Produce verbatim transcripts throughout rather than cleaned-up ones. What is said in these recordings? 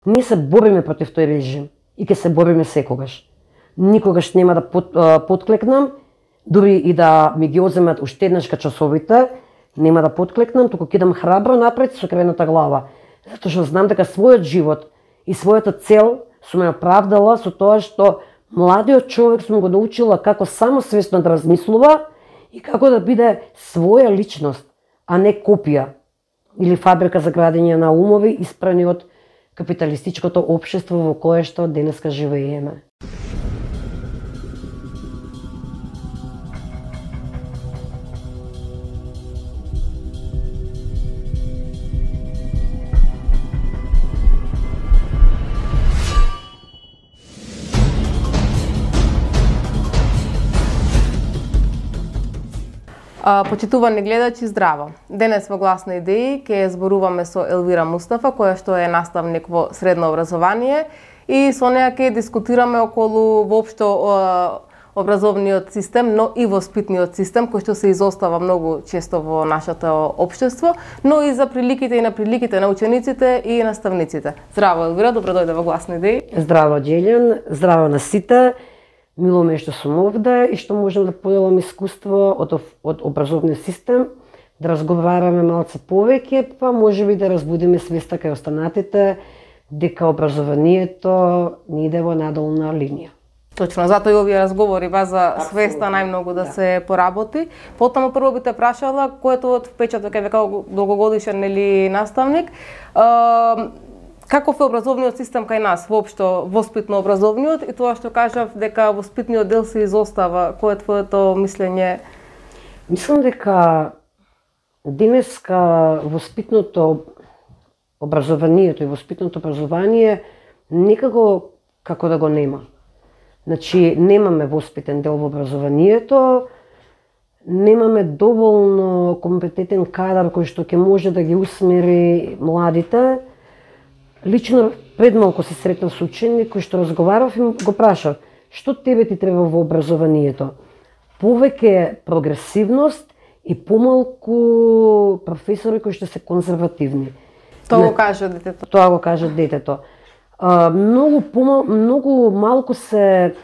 Ние се бориме против тој режим и ќе се бориме секогаш. Никогаш нема да под, подклекнам, дури и да ми ги одземат уште еднаш часовите, нема да подклекнам, туку ќе идам храбро напред со кревената глава. Затоа што знам дека својот живот и својата цел сум ја оправдала со тоа што младиот човек сум го научила како самосвесно да размислува и како да биде своја личност, а не копија или фабрика за градење на умови испрани од капиталистичкото општество во кое што денеска живееме. Почитувани гледачи, здраво! Денес во Гласни идеи ќе зборуваме со Елвира Мустафа, која што е наставник во средно образование, и со неја ќе дискутираме околу воопшто образовниот систем, но и воспитниот систем, кој што се изостава многу често во нашето општество, но и за приликите и на приликите на учениците и наставниците. Здраво, Елвира, добро дојде во Гласни идеи. Здраво, Џелјан, здраво на сите. Мило ме што сум овде и што можам да поделам искуство од, од образовниот систем, да разговараме малце повеќе, па можеби да разбудиме свеста кај останатите дека образованието не иде во надолна линија. Точно, затоа и овие разговори база свеста најмногу да, да се поработи. Потоа прво би те прашала кој е твојот впечаток е како долгогодишен или наставник. Uh, Каков е образовниот систем кај нас, воопшто воспитно образовниот, и тоа што кажав дека воспитниот дел се изостава, кој е твоето мислење? Мислам дека денеска воспитното образованието и воспитното образование некако како да го нема. Значи, немаме воспитен дел во образованието, немаме доволно компетентен кадар кој што ќе може да ги усмери младите. Лично пред малку се сретнав со ученик кој што разговарав и го прашав: што тебе ти треба во образованието? Повеќе прогресивност и помалку професори кои што се конзервативни. Тоа го кажа детето. Тоа го кажа детето. А, многу помал, многу малку се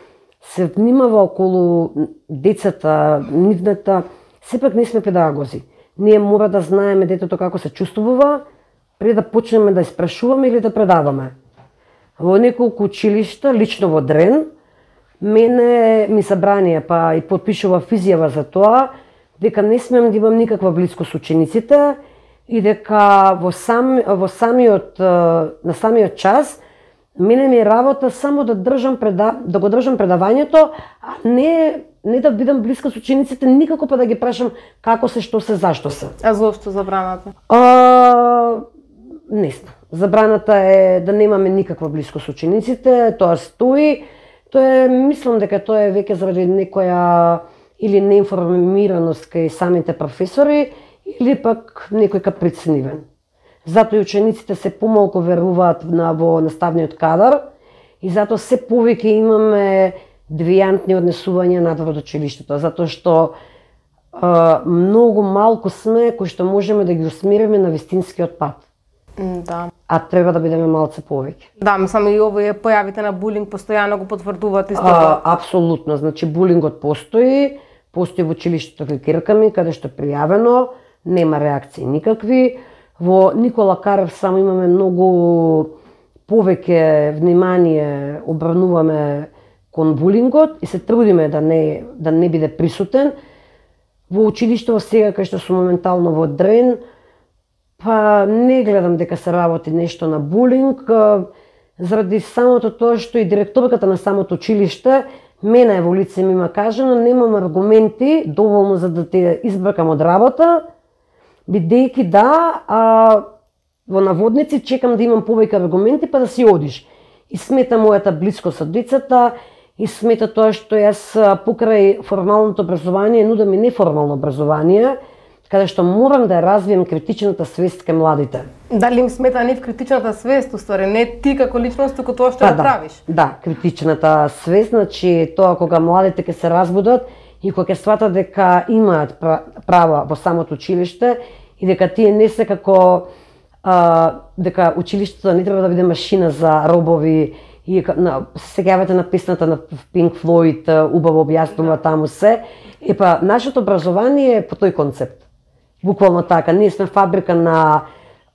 се внимава околу децата, нивната. Сепак не сме педагози. Ние мора да знаеме детето како се чувствува пред да почнеме да испрашуваме или да предаваме. Во неколку училишта, лично во Дрен, мене ми забранија, па и подпишував изјава за тоа, дека не смеам да имам никаква близко со учениците и дека во, сам, во самиот, на самиот час мене ми е работа само да држам преда, да го држам предавањето, а не не да бидам близка со учениците, никако па да ги прашам како се, што се, зашто се. А зошто забраната? А, не знам. Забраната е да немаме никаква близко со учениците, тоа стои. Тоа е, мислам дека тоа е веќе заради некоја или неинформираност кај самите професори, или пак некој каприцнивен. Затоа и учениците се помалку веруваат на во наставниот кадар и затоа се повеќе имаме девијантни однесувања надвор од училиштето, затоа што а, многу малку сме кои што можеме да ги усмериме на вистинскиот пат. Да. А треба да бидеме малце повеќе. Да, мислам и овие појавите на булинг постојано го потврдуваат исто. А, апсолутно, значи булингот постои, постои во училиштето кај ќерка ми, каде што е пријавено, нема реакции никакви. Во Никола Карев само имаме многу повеќе внимание обрнуваме кон булингот и се трудиме да не да не биде присутен. Во училиштето сега кај што сум моментално во Дрен, па не гледам дека се работи нешто на булинг, заради самото тоа што и директорката на самото училиште мене во лице ми има кажано, немам аргументи доволно за да те избркам од работа, бидејќи да, а, во наводници чекам да имам повеќе аргументи па да си одиш. И смета мојата близкост со децата, и смета тоа што јас покрај формалното образование нудам и неформално образование, каде што морам да ја развием критичната свест кај младите. Дали им смета нив критичната свест, уствари, не ти како личност, туку тоа што па, го правиш? Да, да, критичната свест, значи тоа кога младите ќе се разбудат и кога ќе сватат дека имаат права во самото училиште и дека тие не се како а, дека училиштето не треба да биде машина за робови и на сеќавате на песната на Pink Floyd, убаво објаснува таму се. Епа нашето образование е по тој концепт. Буквално така, ние сме фабрика на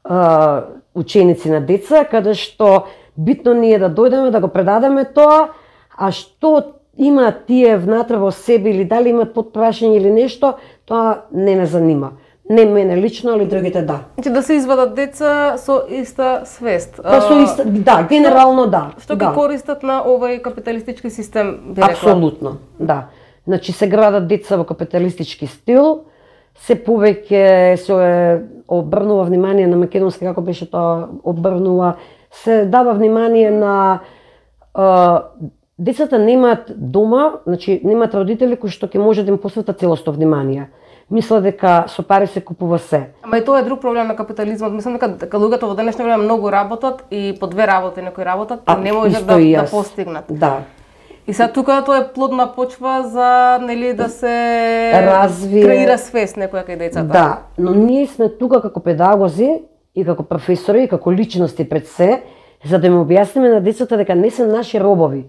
а, ученици на деца, каде што битно ние да дојдеме да го предадеме тоа, а што има тие внатре во себе или дали имат подпрашање или нешто, тоа не ме занима. Не мене лично, али другите да. Значи да се извадат деца со иста свест. Па со иста, да, генерално да. Што да. ги користат на овој капиталистички систем, би рекла? Апсолутно, да. Значи се градат деца во капиталистички стил, се повеќе се обрнува внимание на македонски, како беше тоа, обрнува, се дава внимание на а, децата немаат дома, значи немаат родители кои што ќе може да им посветат целосно внимание. Мисля дека со пари се купува се. Ама и тоа е друг проблем на капитализмот. Мислам дека, дека луѓето во денешно време многу работат и по две работи некои работат и не можат да, да постигнат. Да. И сега тука тоа е плодна почва за нели да се развие, креира свест некоја кај децата. Да, но ние сме тука како педагози и како професори и како личности пред се, за да им објасниме на децата дека не се наши робови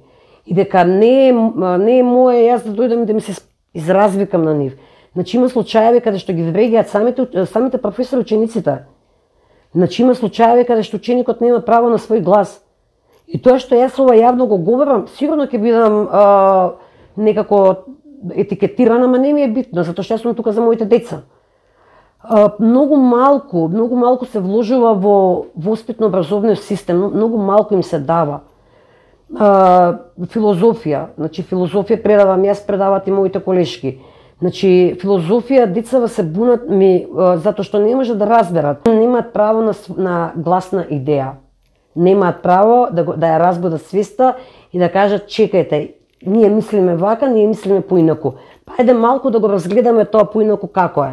и дека не е, не е мое јас да дојдам и да ми се изразвикам на нив. Значи има случаеви каде што ги врегиат самите самите професори учениците. Значи има случаеви каде што ученикот нема право на свој глас. И тоа што јас ова јавно го говорам, сигурно ќе бидам а, некако етикетирана, ама не ми е битно, затоа што јас сум тука за моите деца. А, многу малку, многу малку се вложува во воспитно-образовниот систем, многу малку им се дава. А, филозофија, значи филозофија предавам јас, предават и моите колешки. Значи, филозофија, децава се бунат ми, затоа што не може да разберат. Немаат право на, на гласна идеја. Немаат право да, го, да ја разбудат свеста и да кажат, чекајте, ние мислиме вака, ние мислиме поинаку. Па ајде малку да го разгледаме тоа поинаку како е.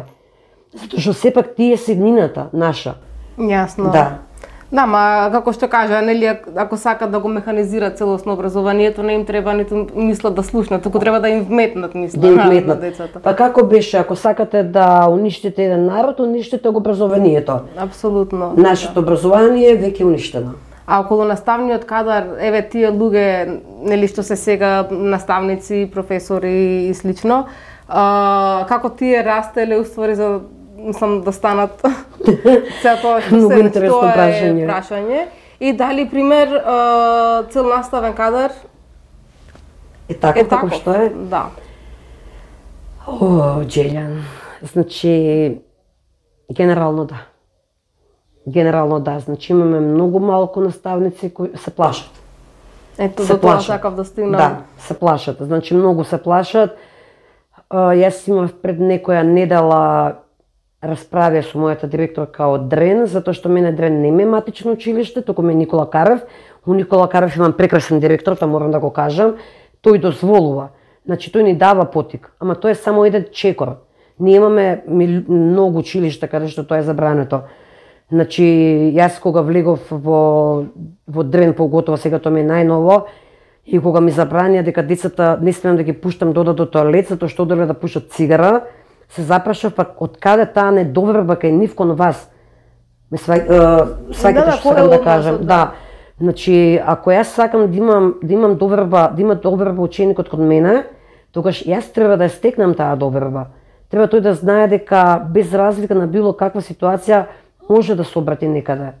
Затоа што сепак тие се еднината наша. Јасно. Да. Да, ма како што кажа, нели ако сакат да го механизираат целосно образованието, не им треба ниту мислат да слушнат, туку треба да им вметнат мисла да им на, вметнат. на децата. Па како беше, ако сакате да уништите еден народ, уништите го образованието. Апсолутно. Нашето образование е веќе уништено. А околу наставниот кадар, еве тие луѓе, нели што се сега наставници, професори и слично, а, како тие растеле уствари за мислам да станат се тоа што Многу се интересно тоа прашање. е прашање. И дали пример а, цел наставен кадар Е така е како таков? што е? Да. О, Джелјан, значи генерално да. Генерално да, значи имаме многу малку наставници кои се плашат. Ето се до тоа плашат. сакав да стигнам. Да, се плашат. Значи многу се плашат. А, јас имав пред некоја недела расправија со мојата директорка од Дрен, затоа што мене Дрен не ме матично училиште, туку ме Никола Карев. У Никола Карев имам прекрасен директор, тоа морам да го кажам. Тој дозволува. Значи тој ни дава потик, ама тоа е само еден чекор. Ние имаме многу училишта каде што тоа е забрането. Значи јас кога влегов во во Дрен, поготово сега тоа ми е најново, и кога ми забранија дека децата не смеам да ги пуштам да одат до тоалет затоа што оделе да пушат цигара, се запрашав па од каде таа недоверба кај нив кон вас. Ме сваќате да, да, што сакам да кажам. Да. Значи, ако јас сакам да имам да имам доверба, да има доверба ученикот кон мене, тогаш јас треба да ја стекнам таа доверба. Треба тој да знае дека без разлика на било каква ситуација може да се обрати некаде.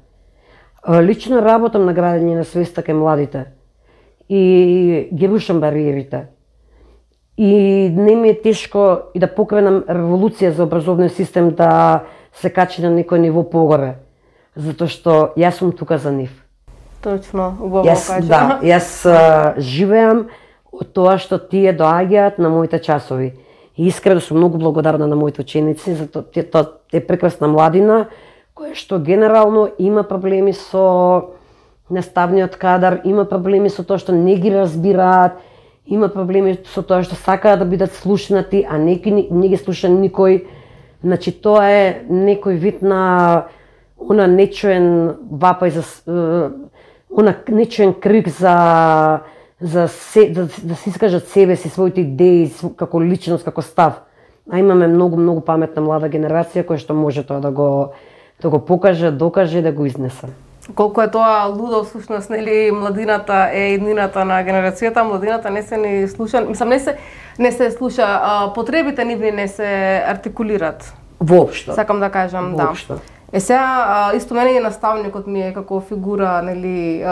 Лично работам на градење на свеста кај младите и ги рушам бариерите. И не ми е тешко и да покренам револуција за образовниот систем да се качи на некој ниво погоре, затоа што јас сум тука за нив. Точно, убаво Јас, кажа. да, јас а, живеам од тоа што тие доаѓаат на моите часови. И искрено сум многу благодарна на моите ученици, затоа тоа е прекрасна младина, која што генерално има проблеми со наставниот кадар, има проблеми со тоа што не ги разбираат, има проблеми со тоа што сакаат да бидат слушнати, а не, не ги слуша никој. Значи тоа е некој вид на она нечуен вапај за она нечуен крик за за се, да, да се искажат себе си, своите идеи како личност, како став. А имаме многу многу паметна млада генерација која што може тоа да го да го покаже, докаже и да го изнесе. Колку е тоа лудо, всушност, нели, младината е иднината на генерацијата, младината не се ни слуша, мислам, не се не се слуша, а, потребите нивни не се артикулират. Воопшто. Сакам да кажам, Воопшто. да. Е сега, исто мене и наставникот ми е како фигура, нели,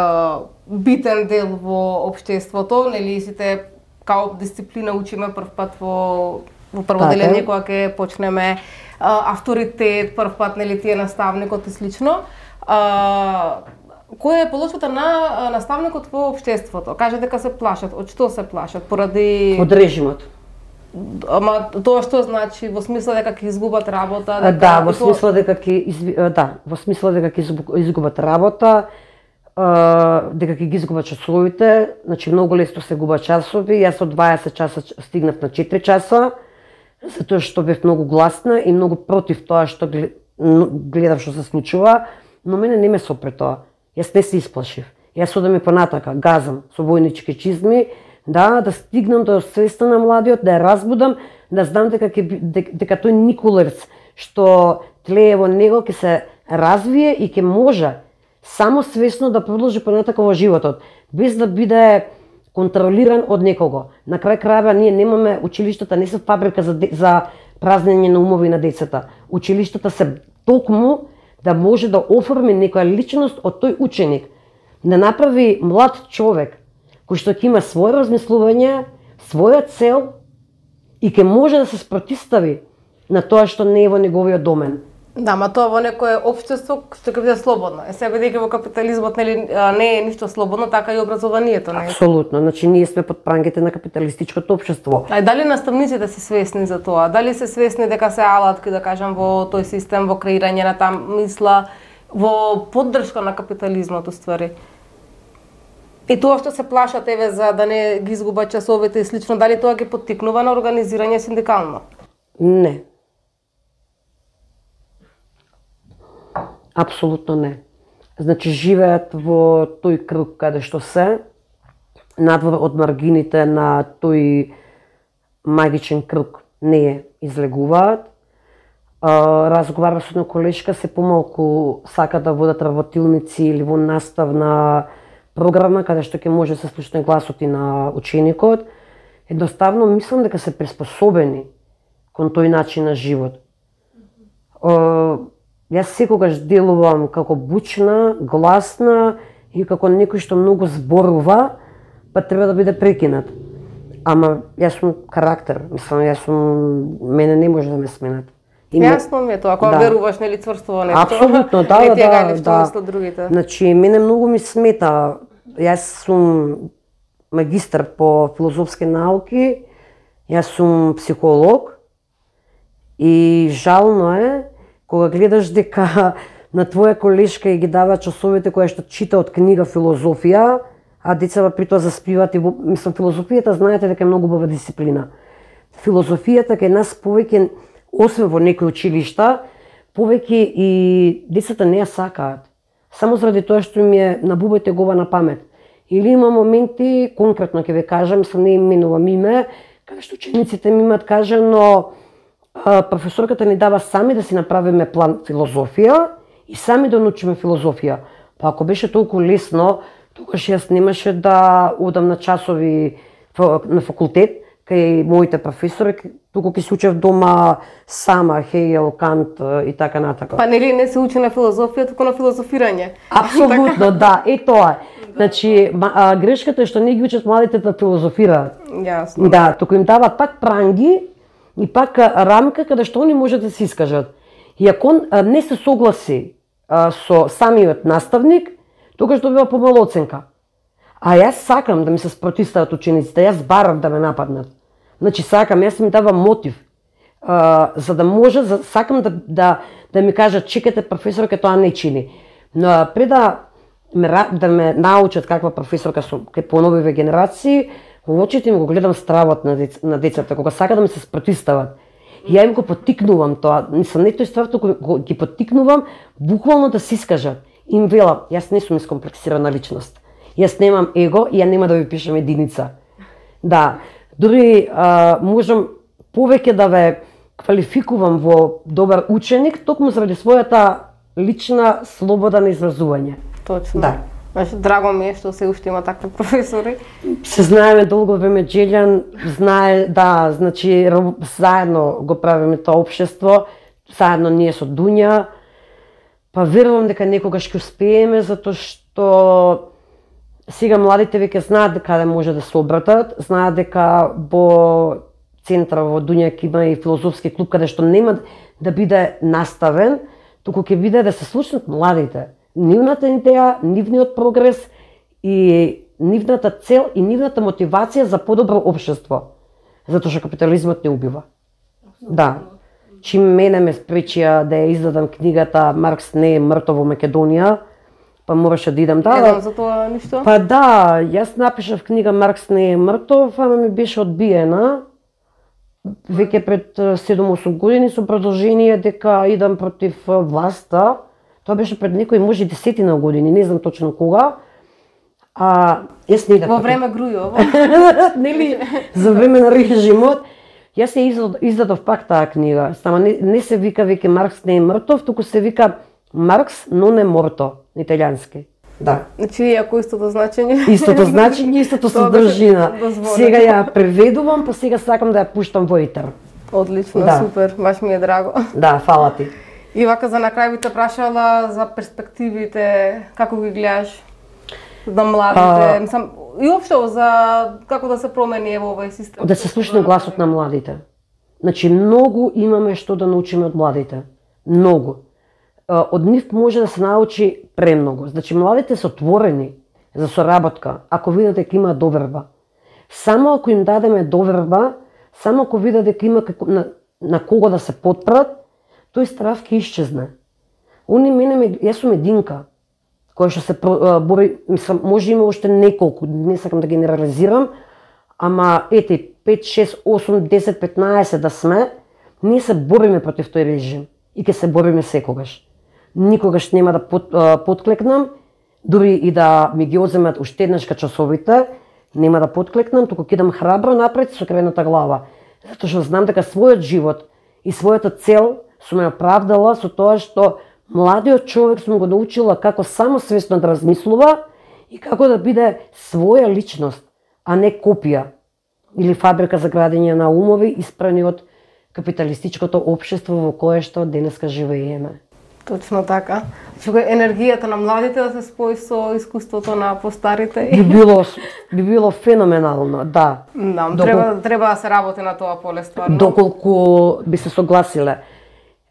битен дел во општеството, нели, сите као дисциплина учиме прв пат во во прво делење кога ќе почнеме авторитет, прв пат, нели, ти е наставникот и слично. А, која е полошата на наставникот во општеството? Каже дека се плашат. Од што се плашат? Поради од режимот. Ама тоа што значи во смисла дека ќе изгубат работа, дека Да, во смисла дека ќе да, во смисла дека ќе изгубат работа, дека ќе ги изгубат часовите, значи многу лесно се губат часови. Јас од дваесет часа стигнав на четири часа, затоа што бев многу гласна и многу против тоа што гледав што се случува, но мене не ме сопре тоа. Јас не се исплашив. Јас одам и понатака, газам со војнички чизми, да, да стигнам до свеста на младиот, да ја разбудам, да знам дека ќе дека тој Николерц што тлее во него ќе се развие и ќе може само свесно да продолжи понатака во животот, без да биде контролиран од некого. На крај крајва ние немаме, училиштата не се фабрика за за празнење на умови на децата. Училиштата се токму да може да оформи некоја личност од тој ученик, да направи млад човек кој што ќе има свое размислување, своја цел и ќе може да се спротистави на тоа што не е во неговиот домен. Да, ма тоа во некое општество што ќе биде слободно. Е сега бидејќи во капитализмот нели не е ништо слободно, така и образованието не е. Апсолутно, значи ние сме под прангите на капиталистичкото општество. А дали наставниците се свесни за тоа? Дали се свесни дека се алатки, да кажам, во тој систем, во креирање на таа мисла, во поддршка на капитализмот уствари? И тоа што се плашат еве за да не ги изгубат часовите и слично, дали тоа ги поттикнува на организирање синдикално? Не. Апсолутно не. Значи живеат во тој круг каде што се, надвор од маргините на тој магичен круг не ја излегуваат. Разговарав со една колешка, се помалку сака да водат работилници или во наставна програма каде што ќе може да се слушне гласот и на ученикот. Едноставно мислам дека се приспособени кон тој начин на живот. Јас секогаш делувам како бучна, гласна и како некој што многу зборува, па треба да биде прекинат. Ама јас сум карактер, мислам, јас сум, мене не може да ме сменат. Јасно ми е тоа, кога да. Веруваш нели цврсто во нешто. Апсолутно, да, не да, да. да. Другите. Значи, мене многу ми смета. Јас сум магистар по филозофски науки, јас сум психолог и жално е кога гледаш дека на твоја колешка и ги дава часовите која што чита од книга филозофија, а децата при тоа заспиваат и мислам филозофијата знаете дека е многу убава дисциплина. Филозофијата кај нас повеќе, освен во некои училишта, повеќе и децата не ја сакаат. Само заради тоа што ми е набубајте гова на памет. Или има моменти, конкретно ќе ве кажам, се не именувам име, каде што учениците ми имаат кажано, професорката ни дава сами да си направиме план филозофија и сами да научиме филозофија. Па ако беше толку лесно, тогаш јас немаше да одам на часови на факултет кај моите професори, туку ќе се учев дома сама, Хегел, Кант и така натака. Па нели не се учи на филозофија, туку на филозофирање? Апсолутно, да, е тоа. Значи, грешката е што не ги учат младите да филозофираат. Јасно. Да, туку им дават пак пранги и пак рамка каде што они можат да се искажат. И ако не се согласи со самиот наставник, тогаш добива помала оценка. А јас сакам да ми се спротистават учениците, јас барам да ме нападнат. Значи сакам, јас ми давам мотив, а, за да може, за, сакам да, да, да ми кажат, чекате професорка тоа не чини. Но пред да ме, да ме научат каква професорка сум кај поновиве генерации, во очите им го гледам стравот на, дец, на децата, кога сака да ми се спротистават. И ја им го поттикнувам тоа, мислам не тој ствар, туку ги поттикнувам буквално да се искажат. Им велам, јас не сум искомплексирана личност. Јас немам его и ја нема да ви пишам единица. Да, дури а, можам повеќе да ве квалификувам во добар ученик, токму заради својата лична слобода на изразување. Точно. Да. Значи, драго ми е што се уште има такви професори. Се знаеме долго време, Джелјан знае, да, значи заедно го правиме тоа општество, заедно ние со Дуња, па верувам дека некогаш ќе успееме, затоа што сега младите веќе знаат дека може да се обратат, знаат дека во центар во Дуња ќе има и филозофски клуб каде што нема да биде наставен, туку ќе биде да се слушнат младите. Нивната идеја, нивниот прогрес и нивната цел и нивната мотивација за подобро општество. Затоа што капитализмот не убива. Да. Чим мене ме спречија да ја издадам книгата Маркс не е мртов во Македонија, па мораше да идам да. Едам за тоа ништо? Па да, јас напишав книга Маркс не е мртов, ама ми беше одбиена. Веќе пред седум-осум години со продолжение дека идам против власта. Тоа беше пред некои може десетина години, не знам точно кога. А јас не идав. Во време Грујово. Нели за време на режимот. Јас ја издадов пак таа книга. Само не, не се вика веќе Маркс не е мртов, туку се вика Маркс но не морто на италијански. Да. Значи иако истото значење. Истото значење, истото содржина. Сега ја преведувам, па сега сакам да ја пуштам во етер. Одлично, да. Супер, баш ми е драго. Да, фала ти. И вака за на крај би те прашала за перспективите, како ги гледаш за младите, мислам, и општо за како да се промени во овој систем. Да се слушне гласот на младите. Значи многу имаме што да научиме од младите. Многу. Од нив може да се научи премногу. Значи младите се отворени за соработка, ако видат дека има доверба. Само ако им дадеме доверба, само ако видат дека има како, на, на кого да се потпрат, тој страв ќе исчезне. Они мене, јас сум единка, која што се бори, мислам, може има уште неколку, не сакам да генерализирам, ама ете, пет, шест, осум, десет, петнаесет да сме, ние се бориме против тој режим и ќе се бориме секогаш. Никогаш нема да под, подклекнам, дури и да ми ги одземат уште еднаш часовите, нема да подклекнам, туку ќе идам храбро напред со кренета глава. Затоа што знам дека својот живот и својата цел сум ја оправдала со тоа што младиот човек сум го научила како самосвесно да размислува и како да биде своја личност, а не копија или фабрика за градење на умови испрани од капиталистичкото општество во кое што денеска живееме. Точно така. Чуга енергијата на младите да се спои со искуството на постарите. Би било би било феноменално, да. Да, Докол... треба треба да се работи на тоа поле стварно. Доколку би се согласиле.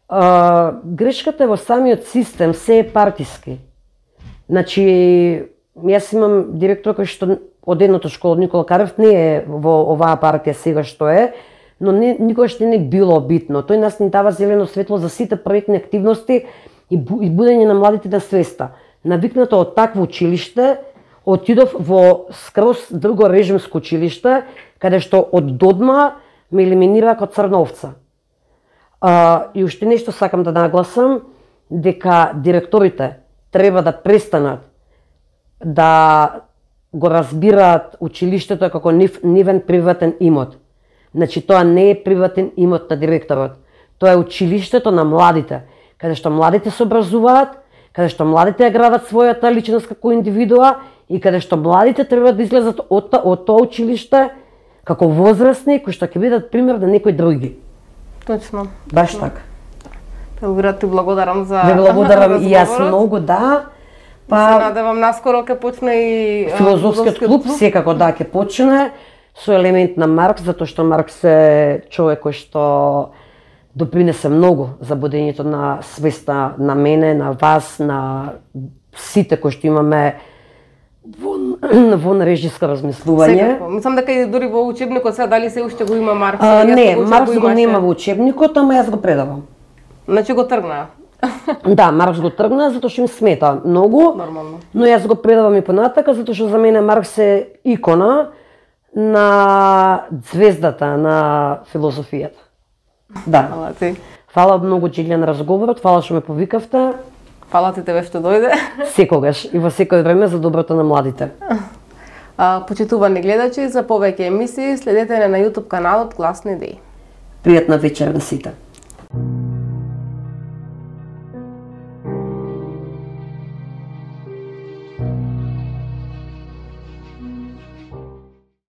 А, грешката е во самиот систем, се е партиски. Значи, јас имам директор кој што од едното школа Никола Карев не е во оваа партија сега што е, но не, никогаш не е било битно. Тој нас ни дава зелено светло за сите проектни активности и будење на младите на свеста. Навикнато од такво училиште, отидов во скроз друго режимско училиште, каде што од додма ме елиминира како црновца. А, и уште нешто сакам да нагласам, дека директорите треба да престанат да го разбираат училиштето како нив, нивен приватен имот. Значи, тоа не е приватен имот на директорот. Тоа е училиштето на младите, каде што младите се образуваат, каде што младите ја градат својата личност како индивидуа и каде што младите треба да излезат од, од тоа училиште како возрастни кои што ќе бидат пример на некои други. Точно. Баш така. Елвира, ти благодарам за Ве благодарам и јас многу, да. Па се надевам наскоро ќе почне и филозофскиот клуб, клуб, секако да ќе почне со елемент на Маркс, затоа што Маркс е човек кој што допринесе многу за будењето на свеста на мене, на вас, на сите кои што имаме вон, вон режиско размислување. Секако. Мислам дека и дури во учебникот сега дали се уште го има Маркс? А, не, Маркс го, го нема во учебникот, ама јас го предавам. Значи го тргна. Да, Маркс го тргна затоа што ми смета многу. Нормално. Но јас го предавам и понатака затоа што за мене Маркс е икона на звездата на филозофијата. Да. Фала ти. Фала многу, Джелјан, на разговорот, фала што ме повикавте. Фала ти тебе што дојде. Секогаш и во секој време за доброто на младите. А, почитувани гледачи, за повеќе емисии следете на YouTube каналот Гласни идеи. Пријатна вечер на сите.